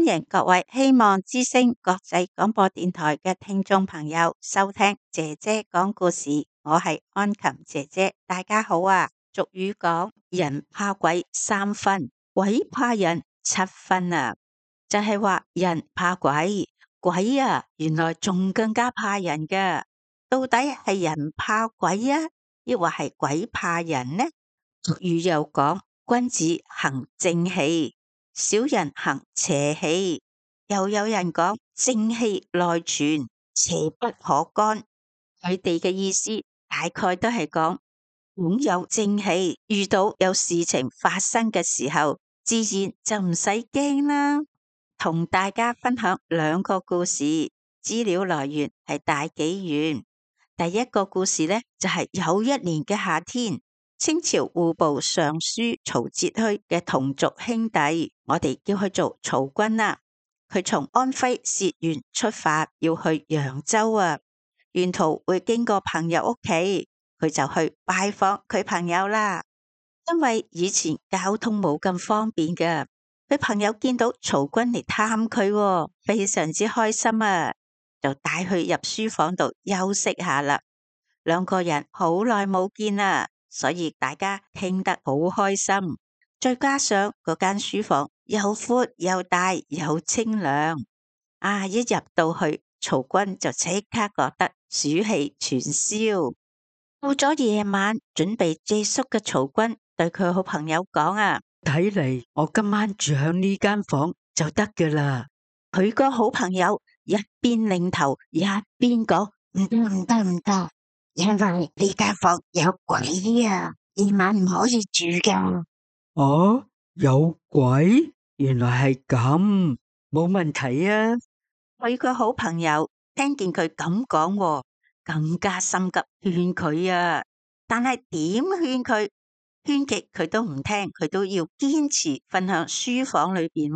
迎各位希望之聲國際廣播電台嘅聽眾朋友收聽姐姐講故事，我係安琴姐姐，大家好啊！俗語講人怕鬼3分，鬼怕人7分啊，就係話人怕鬼，鬼啊原來仲更加怕人㗎。到底係人怕鬼啊，抑或係鬼怕人呢？俗語又講君子行正氣，小人行邪氣，又有人講正氣內存，邪不可干。佢哋嘅意思大概都係講擁有正氣，遇到有事情發生嘅時候，自然就唔使驚啦。同大家分享2個故事，資料來源係大紀元。第一個故事呢，就係有一年嘅夏天，清朝戶部尚書曹節虛嘅同族兄弟，我哋叫佢做曹君啦。佢從安徽薛縣出發，要去揚州啊。沿途會經過朋友屋企，佢就去拜訪佢朋友啦。因為以前交通冇咁方便嘅，佢朋友見到曹君嚟探佢，非常之開心啊，就帶佢入書房度休息下啦。2個人好耐冇見啦，所以大家傾得好開心。再加上嗰間書房又闊又大又清涼，一入到去，曹君就即刻覺得暑氣全消。到咗夜晚準備借宿嘅曹君對佢好朋友講睇嚟我今晚住響呢間房就得㗎啦。佢個好朋友一邊擰頭一邊講：唔得，因為呢間房有鬼啊，夜晚唔可以住㗎。哦，有鬼？原來係咁，冇問題啊。佢個好朋友聽見佢咁講，更加心急勸佢啊。但係點勸佢，勸極佢都唔聽，佢都要堅持瞓響書房裏邊。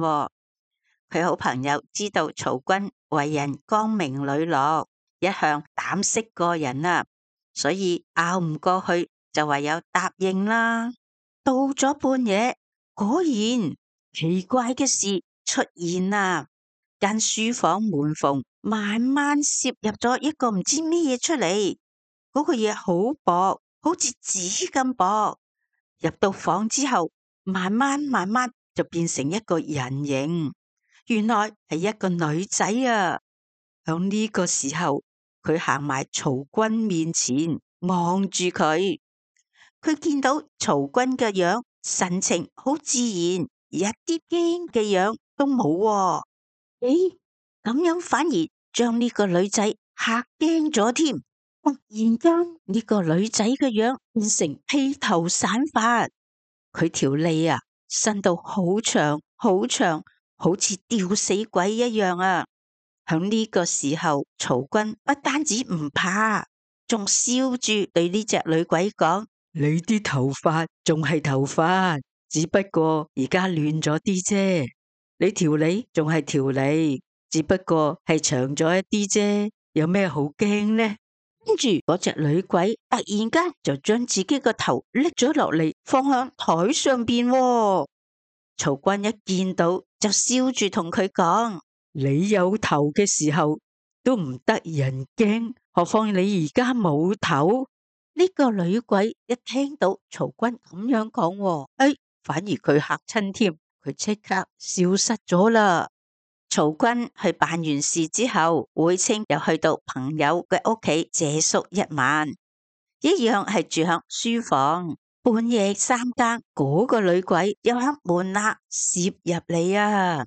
佢好朋友知道曹君為人光明磊落，一向膽識過人啊，所以拗唔過去，就唯有答應啦。到咗半夜，果然奇怪嘅事出現啦。間書房門縫慢慢攝入咗一個唔知咩嘢出嚟，嗰個嘢好薄，好似紙咁薄。入到房之後，慢慢就變成一個人形，原來係一個女仔啊！響呢個時候，佢行埋曹君面前，望住佢。佢見到曹君嘅樣，神情好自然，一啲驚嘅樣都冇。誒，咁樣反而將呢個女仔嚇驚咗添。突然間，呢個女仔嘅樣變成披頭散髮，佢條脷伸到好長好長，好似吊死鬼一樣啊！響呢個時候，曹君不單止唔怕，仲笑住對呢隻女鬼講：你啲頭髮仲係頭髮，只不過而家亂咗啲啫。你條脷仲係條脷，只不過係長咗一啲啫。有咩好驚呢？跟住嗰隻女鬼突然間就將自己個頭拎咗落嚟，放響台上邊。曹君一見到就笑住同佢講：你有頭嘅時候都唔得人驚，何況你而家冇頭？呢個女鬼一聽到曹君咁樣講，反而佢嚇親添，佢即刻消失咗啦。曹君去辦完事之後，回清又去到朋友嘅屋企借宿1晚，一樣係住響書房。半夜3更，嗰個女鬼又響門攝入嚟啊！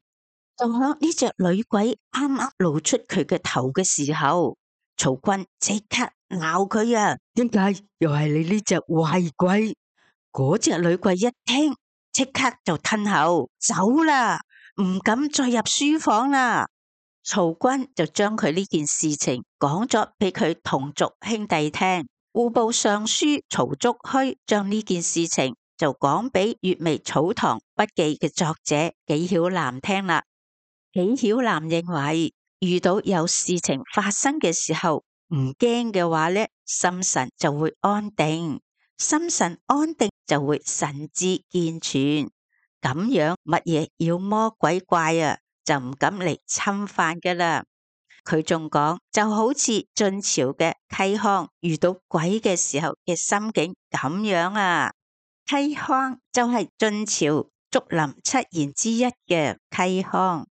就響呢隻女鬼啱啱露出佢嘅頭嘅時候，曹君即刻鬧佢啊！點解又係你呢隻壞鬼？嗰隻女鬼一聽，即刻就褪後走啦，唔敢再入書房啦。曹君就將佢呢件事情講咗俾佢同族兄弟聽。戶部尚書曹節虛將呢件事情就講俾《閱微草堂筆記》嘅作者紀曉嵐聽啦。紀曉嵐認為，遇到有事情發生嘅時候，唔驚嘅話呢，心神就會安定，心神安定就會神志健全。咁樣乜嘢妖魔鬼怪就唔敢嚟侵犯噶啦。佢仲講，就好似晉朝嘅嵇康遇到鬼嘅時候嘅心境咁樣啊。嵇康就係晉朝竹林七賢之一嘅嵇康，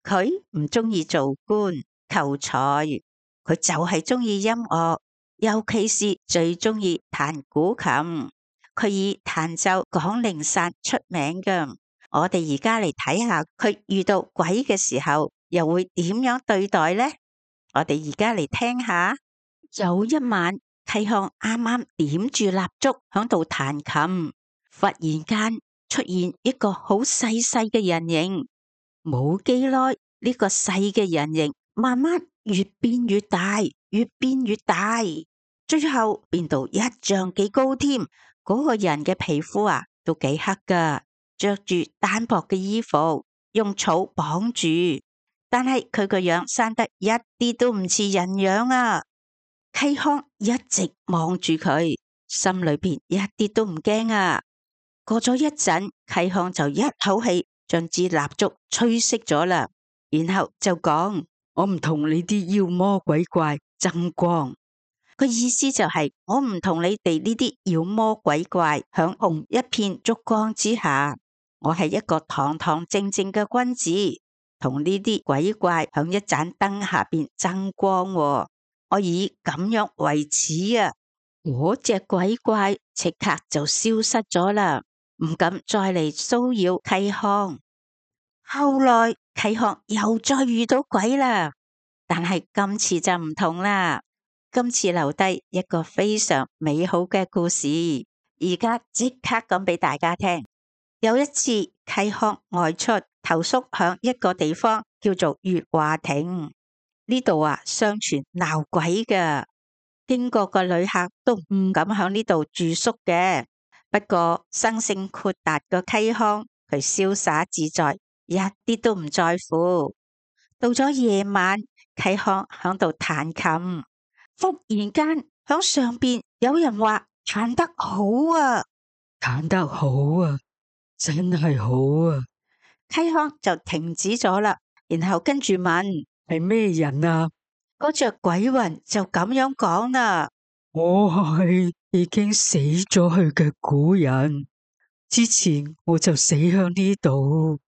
佢唔中意做官求財，佢就係中意音樂，尤其是最中意彈古琴。佢以彈奏廣陵散出名㗎。我哋而家嚟睇下佢遇到鬼嘅時候又會點樣對待呢？我哋而家嚟聽下。有一晚，嵇康啱啱點住蠟燭響度彈琴，忽然間出現一個好細細嘅人形。冇幾耐，呢個細嘅人形慢慢越變越大，越變越大，最後變到一丈幾高添。嗰個人嘅皮膚啊都幾黑噶，着住單薄嘅衣服，用草綁住，但係佢個樣生得一啲都唔似人樣啊。嵇康一直望住佢，心裏邊一啲都唔驚啊。過咗一陣，嵇康就一口氣將支蠟燭吹熄咗啦，然後就講：我唔同你啲妖魔鬼怪爭光。個意思就係我唔同你哋呢啲妖魔鬼怪響紅一片燭光之下，我係一個堂堂正正嘅君子，同呢啲鬼怪響一盞燈下邊爭光喎。我以咁樣為恥啊！嗰隻鬼怪即刻就消失咗啦，唔敢再嚟騷擾嵇康。後來嵇康又再遇到鬼啦，但係今次就唔同啦。今次留低一個非常美好嘅故事，而家即刻講俾大家聽。有一次嵇康外出投宿響一個地方叫做月華亭，呢度啊相傳鬧鬼嘅，經過嘅旅客都唔敢響呢度住宿嘅。不過生性豁達嘅嵇康，佢瀟灑自在，一啲都唔在乎。到咗夜晚，嵇康響度彈琴。忽然間響上邊有人話彈得好啊，彈得好啊，真係好啊！嵇康就停止咗啦，然後跟住問係咩人啊？嗰隻鬼魂就咁樣講啦：我係已經死咗去嘅古人，之前我就死響呢度，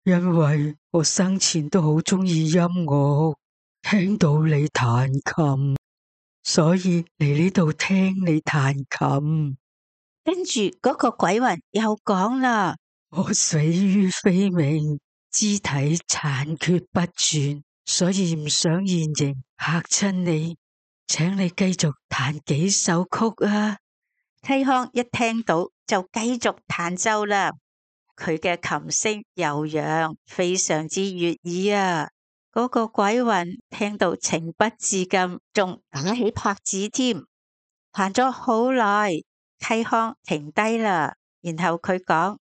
因為我生前都好中意音樂，聽到你彈琴，所以嚟呢度聽你彈琴。跟住嗰個鬼魂又講啦：我死於非命，肢體殘缺不全，所以唔想現形嚇親你，請你繼續彈幾首曲啊！嵇康一聽到就繼續彈奏啦，佢嘅琴聲悠揚，非常之悅耳啊！嗰個鬼魂聽到情不自禁，仲打起拍子添。彈咗好耐，嵇康停低啦，然後佢講：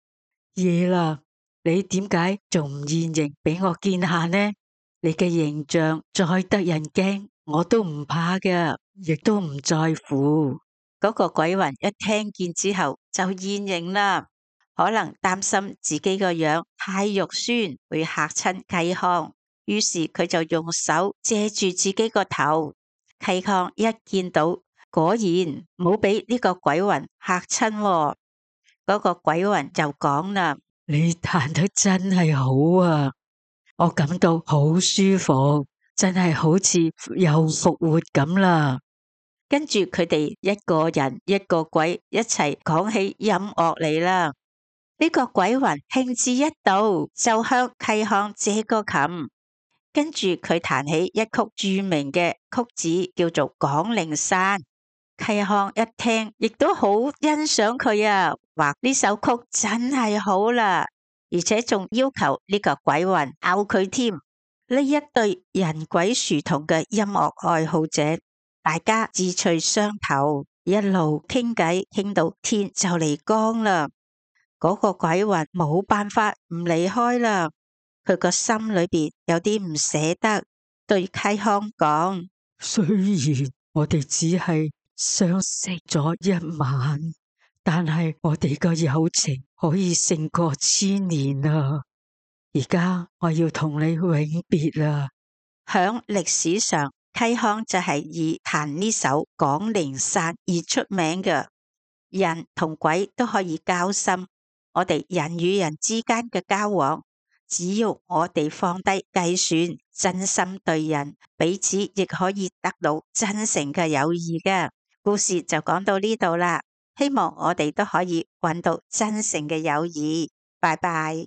夜啦，你點解仲唔現形俾我見下呢？你嘅形象再得人驚，我都唔怕嘅，亦都唔在乎。嗰個鬼魂一聽見之後就現形啦，可能擔心自己個樣太肉酸會嚇親嵇康，於是佢就用手遮住自己個頭。嵇康一見到，果然冇俾呢個鬼魂嚇親喎。嗰個鬼魂就講啦：你彈得真係好啊，我感到好舒服，真係好似又復活咁啦。跟住佢哋一個人一個鬼一齊講起音樂嚟啦。呢個鬼魂興致一到，就向嵇康借個琴，跟住佢彈起一曲著名嘅曲子，叫做《廣陵散》。嵇康一聽，亦都好欣賞佢啊，話呢首曲真係好啦，而且仲要求呢個鬼魂咬佢添。呢一對人鬼殊同嘅音樂愛好者，大家志趣相投，一路傾偈傾到天就嚟光啦。嗰個鬼魂冇辦法唔離開啦，佢個心裏邊有啲唔捨得，對嵇康講：雖然我哋只係相識咗一晚，但係我哋個友情可以勝過千年啊！而家我要同你永別啦。響歷史上，溪康就係以彈呢首廣陵散而出名嘅。人同鬼都可以交心，我哋人與人之間嘅交往，只要我哋放低計算，真心對人，彼此亦可以得到真誠嘅友誼嘅。故事就講到呢度啦，希望我哋都可以搵到真誠嘅友誼。拜拜。